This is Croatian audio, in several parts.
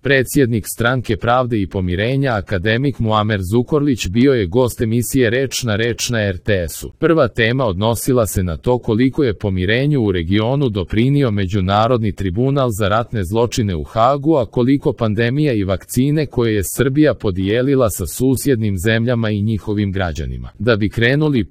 Predsjednik Stranke pravde i pomirenja akademik Muamer Zukorlić bio je gost emisije Reč na RTS-u. Prva tema odnosila se na to koliko je pomirenju u regionu doprinio Međunarodni tribunal za ratne zločine u Hagu, a koliko pandemija i vakcine koje je Srbija podijelila sa susjednim zemljama i njihovim građanima. Da bi krenuli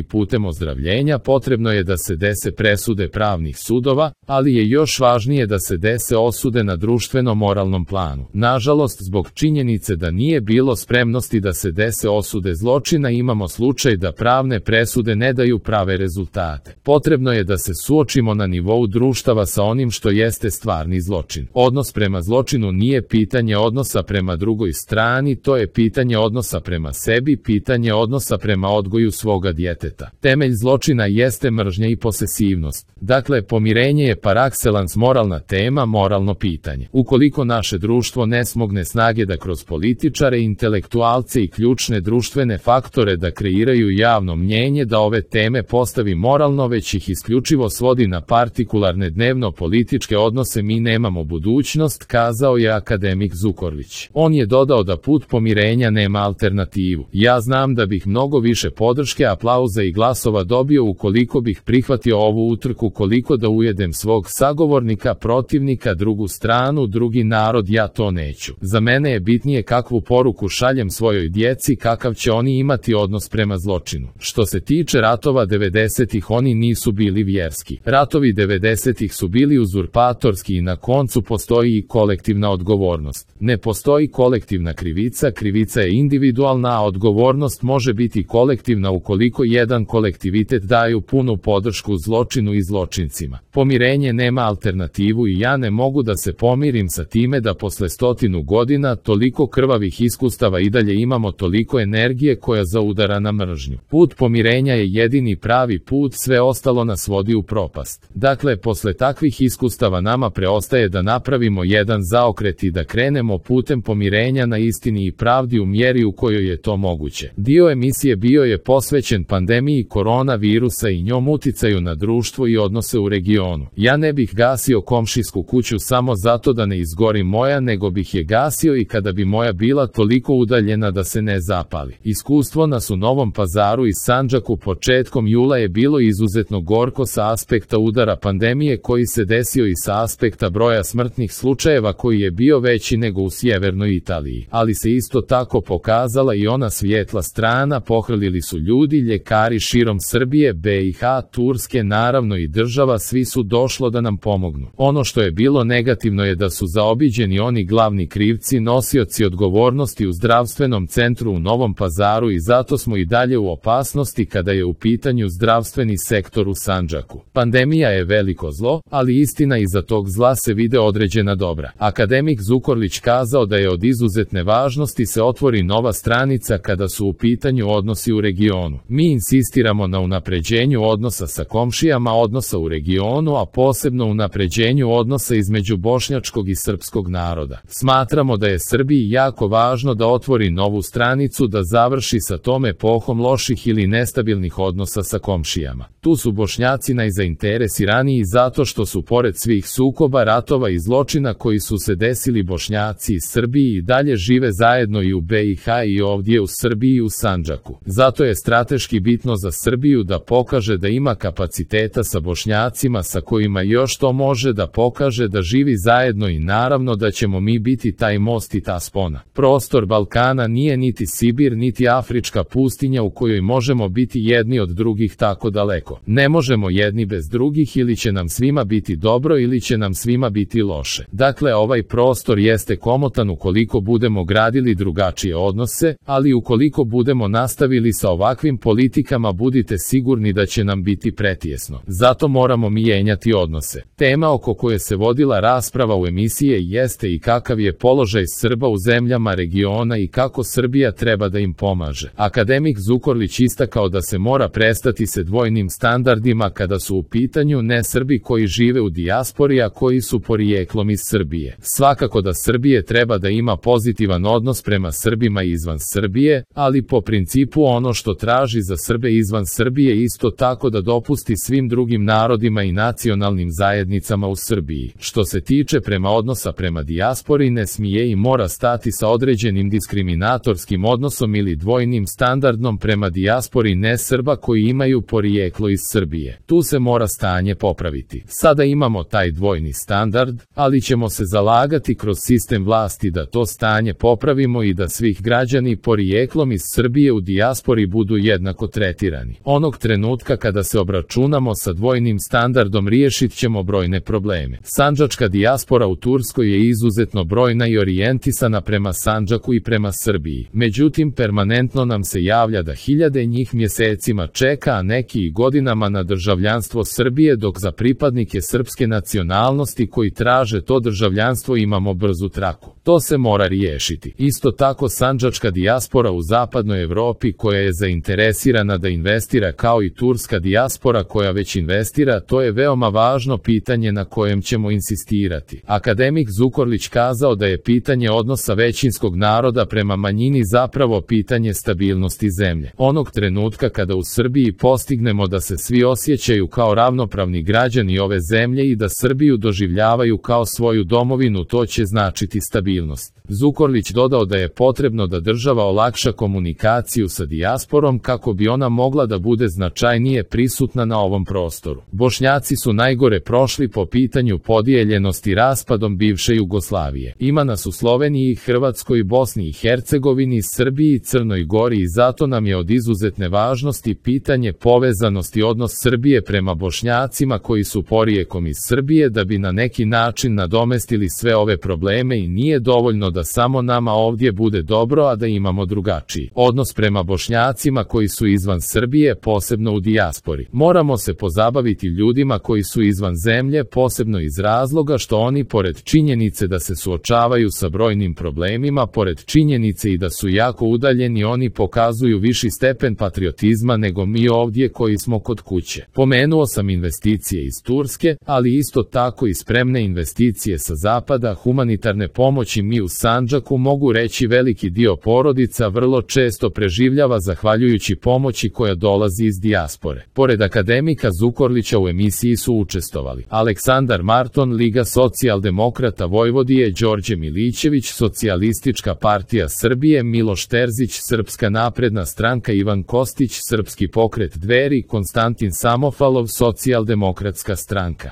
putem ozdravljenja potrebno je da se dese presude pravnih sudova, ali je još važnije da se dese osude na društveno-moralnom planu. Nažalost, zbog činjenice da nije bilo spremnosti da se dese osude zločina, imamo slučaj da pravne presude ne daju prave rezultate. Potrebno je da se suočimo na nivou društava sa onim što jeste stvarni zločin. Odnos prema zločinu nije pitanje odnosa prema drugoj strani, to je pitanje odnosa prema sebi, pitanje odnosa prema odgoju svoga djeteta. Temelj zločina jeste mržnja i posesivnost. Dakle, pomirenje je par excellence moralna tema, moralno pitanje. Ukoliko naše društvo ne smogne snage da kroz političare, intelektualce i ključne društvene faktore da kreiraju javno mnjenje, da ove teme postavi moralno, već ih isključivo svodi na partikularne dnevno-političke odnose, mi nemamo budućnost, kazao je akademik Zukorlić. On je dodao da put pomirenja nema alternativu. Ja znam da bih mnogo više podrške, aplauza i glasova dobio ukoliko bih prihvatio ovu utrku, koliko da ujedem svog sagovornika, protivnika, drugu stranu, drugi narod, ja to neću. Za mene je bitnije kakvu poruku šaljem svojoj djeci, kakav će oni imati odnos prema zločinu. Što se tiče ratova 90-ih, oni nisu bili vjerski. Ratovi 90-ih su bili uzurpatorski i na koncu postoji i kolektivna odgovornost. Ne postoji kolektivna krivica, krivica je individualna, a odgovornost može biti kolektivna ukoliko jedan kolektivitet daju punu podršku zločinu i zločincima. Pomirenje nema alternativu i ja ne mogu da se pomirim sa time da posle 100 godina toliko krvavih iskustava i dalje imamo toliko energije koja zaudara na mržnju. Put pomirenja je jedini pravi put, sve ostalo nas vodi u propast. Dakle, posle takvih iskustava nama preostaje da napravimo jedan zaokret i da krenemo putem pomirenja na istini i pravdi u mjeri u kojoj je to moguće. Dio emisije bio je posvećen pandemiji koronavirusa i njom uticaju na društvo i odnose u regionu. Ja ne bih gasio komšijsku kuću samo zato da ne izgori moja, nego bih je gasio i kada bi moja bila toliko udaljena da se ne zapali. Iskustvo nas u Novom Pazaru i Sandžaku početkom jula je bilo izuzetno gorko sa aspekta udara pandemije koji se desio i sa aspekta broja smrtnih slučajeva koji je bio veći nego u sjevernoj Italiji. Ali se isto tako pokazala i ona svijetla strana, pohrlili su ljudi, ljekari širom Srbije, BiH, Turske, naravno i država, svi su došlo da nam pomognu. Ono što je bilo negativno je da su zaobiđeni oni glavni krivci, nosioci odgovornosti u zdravstvenom centru u Novom Pazaru i zato smo i dalje u opasnosti kada je u pitanju zdravstveni sektor u Sandžaku. Pandemija je veliko zlo, ali istina iza tog zla se vide određena dobra. Akademik Zukorlić kazao da je od izuzetne važnosti se otvori nova stranica kada su u pitanju odnosi u regionu. Mi insistiramo na unapređenju odnosa sa komšijama, odnosa u regionu, a posebno unapređenju odnosa između bošnjačkog i srpskog naroda. Smatramo da je Srbiji jako važno da otvori novu stranicu, da završi sa tom epohom loših ili nestabilnih odnosa sa komšijama. Tu su Bošnjaci najzainteresiraniji zato što su pored svih sukoba, ratova i zločina koji su se desili, Bošnjaci i Srbiji i dalje žive zajedno i u BiH i ovdje u Srbiji i u Sandžaku. Zato je strateški bitno za Srbiju da pokaže da ima kapaciteta sa Bošnjacima sa kojima još to može, da pokaže da živi zajedno i naravno da ćemo mi biti taj most i ta spona. Prostor Balkana nije niti Sibir niti afrička pustinja u kojoj možemo biti jedni od drugih tako daleko. Ne možemo jedni bez drugih, ili će nam svima biti dobro ili će nam svima biti loše. Dakle, ovaj prostor jeste komotan ukoliko budemo gradili drugačije odnose, ali ukoliko budemo nastavili sa ovakvim politikama, budite sigurni da će nam biti pretjesno. Zato moramo mijenjati odnose. Tema oko koje se vodila rasprava u emisiji jeste i kakav je položaj Srba u zemljama regiona i kako Srbija treba da im pomaže. Akademik Zukorlić istakao da se mora prestati se dvojnim standardima kada su u pitanju ne Srbi koji žive u dijaspori, a koji su porijeklom iz Srbije. Svakako da Srbije treba da ima pozitivan odnos prema Srbima izvan Srbije, ali po principu ono što traži za Srbe izvan Srbije isto tako da dopusti svim drugim narodima i nacionalnim zajednicama u Srbiji. Što se tiče prema odnosu odnosa prema dijaspori ne smije i mora stati sa određenim diskriminatorskim odnosom ili dvojnim standardom prema dijaspori nesrba koji imaju porijeklo iz Srbije. Tu se mora stanje popraviti. Sada imamo taj dvojni standard, ali ćemo se zalagati kroz sistem vlasti da to stanje popravimo i da svih građani porijeklom iz Srbije u dijaspori budu jednako tretirani. Onog trenutka kada se obračunamo sa dvojnim standardom riješit ćemo brojne probleme. Sandžačka dijaspora u Turskoj je izuzetno brojna i orijentisana prema Sandžaku i prema Srbiji. Međutim, permanentno nam se javlja da hiljade njih mjesecima čeka, a neki i godinama na državljanstvo Srbije, dok za pripadnike srpske nacionalnosti koji traže to državljanstvo imamo brzu traku. To se mora riješiti. Isto tako sandžačka dijaspora u zapadnoj Evropi koja je zainteresirana da investira kao i turska dijaspora koja već investira, to je veoma važno pitanje na kojem ćemo insistirati. Akademik Zukorlić kazao da je pitanje odnosa većinskog naroda prema manjini zapravo pitanje stabilnosti zemlje. Onog trenutka kada u Srbiji postignemo da se svi osjećaju kao ravnopravni građani ove zemlje i da Srbiju doživljavaju kao svoju domovinu, to će značiti stabilnost. Zukorlić dodao da je potrebno da država olakša komunikaciju sa dijasporom kako bi ona mogla da bude značajnije prisutna na ovom prostoru. Bošnjaci su najgore prošli po pitanju podijeljenosti raspadom bivše Jugoslavije. Ima nas u Sloveniji, Hrvatskoj, Bosni i Hercegovini, Srbiji i Crnoj Gori i zato nam je od izuzetne važnosti pitanje povezanosti odnos Srbije prema Bošnjacima koji su porijekom iz Srbije da bi na neki način nadomestili sve ove probleme i nije dovoljno da samo nama ovdje bude dobro, a da imamo drugačiji odnos prema Bošnjacima koji su izvan Srbije, posebno u dijaspori. Moramo se pozabaviti ljudima koji su izvan zemlje, posebno iz razloga što oni, pored činjenice da se suočavaju sa brojnim problemima, pored činjenice i da su jako udaljeni, oni pokazuju viši stepen patriotizma nego mi ovdje koji smo kod kuće. Pomenuo sam investicije iz Turske, ali isto tako i spremne investicije sa zapada, humanitarne pomoći. Mi u Sandžaku, mogu reći, veliki dio porodica vrlo često preživljava zahvaljujući pomoći koja dolazi iz dijaspore. Pored akademika Zukorlića u emisiji su učestvovali Aleksandar Marton, Liga socijaldemokrata Vojvodije, Đorđe Milićević, Socijalistička partija Srbije, Miloš Terzić, Srpska napredna stranka, Ivan Kostić, Srpski pokret Dveri, Konstantin Samofalov, Socijaldemokratska stranka.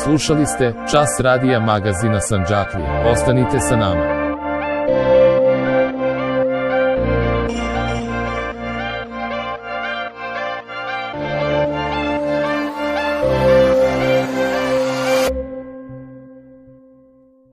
Slušali ste Čas radija magazina Sandžaklije. Ostanite sa nama.